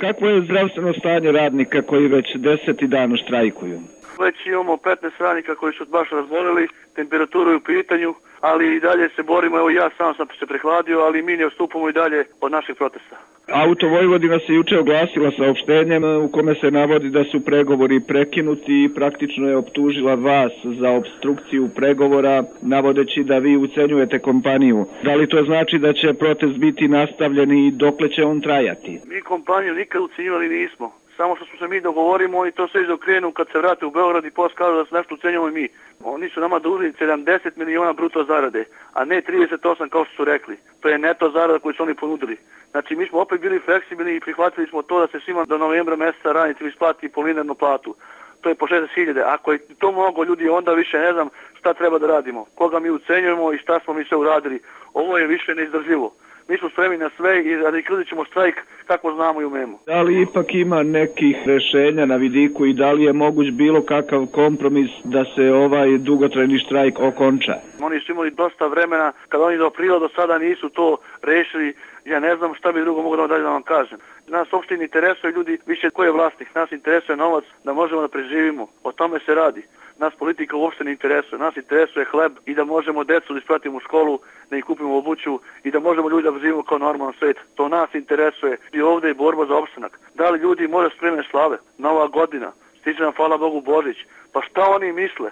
Kakvo je zdravstveno stanje radnika koji već 10. dan štrajkuju? Već imamo 15 radnika koji su baš razbolili, temperaturu je u pitanju, ali i dalje se borimo. Evo ja sam se prehladio, ali mi ne odstupamo i dalje od naših protesta. Auto Vojvodina se juče oglasila saopštenjem u kome se navodi da su pregovori prekinuti i praktično je optužila vas za opstrukciju pregovora, navodeći da vi ucenjujete kompaniju. Da li to znači da će protest biti nastavljen i dokle će on trajati? Mi kompaniju nikad ucenjivali nismo. Samo što smo se mi dogovorimo i to sve izokrenu kad se vrate u Beograd i posle kažu da se nešto ucenjamo i mi. Oni su nama dužni 70 miliona bruto zarade, a ne 38 kao što su rekli. To je neto zarada koju su oni ponudili. Znači mi smo opet bili fleksibilni i prihvatili smo to da se svima do novembra meseca radnicima isplati po linearnu platu. To je po 60.000. Ako je to mnogo ljudi, onda više ne znam šta treba da radimo. Koga mi ucenjujemo i šta smo mi sve uradili. Ovo je više neizdrživo. Mi smo spremni na sve i radikalizit ćemo štrajk kako znamo i umemo. Da li ipak ima nekih rešenja na vidiku i da li je moguć bilo kakav kompromis da se ovaj dugotrajni štrajk okonča? Oni su imali dosta vremena, kada oni do aprila do sada nisu to rešili, ja ne znam šta bi drugo mogu da vam kažem. Nas uopšte ne interesuje ljudi više ko je vlasnik, nas interesuje novac da možemo da preživimo, o tome se radi. Nas politika uopšte ne interesuje, nas interesuje hleb i da možemo decu da ispratimo u školu, da im kupimo obuću i da možemo ljudi da živimo kao normalan svet. To nas interesuje i ovde je borba za opstanak. Da li ljudi može spremne slave? Nova godina, stiže nam hvala Bogu Božić. Pa šta oni misle?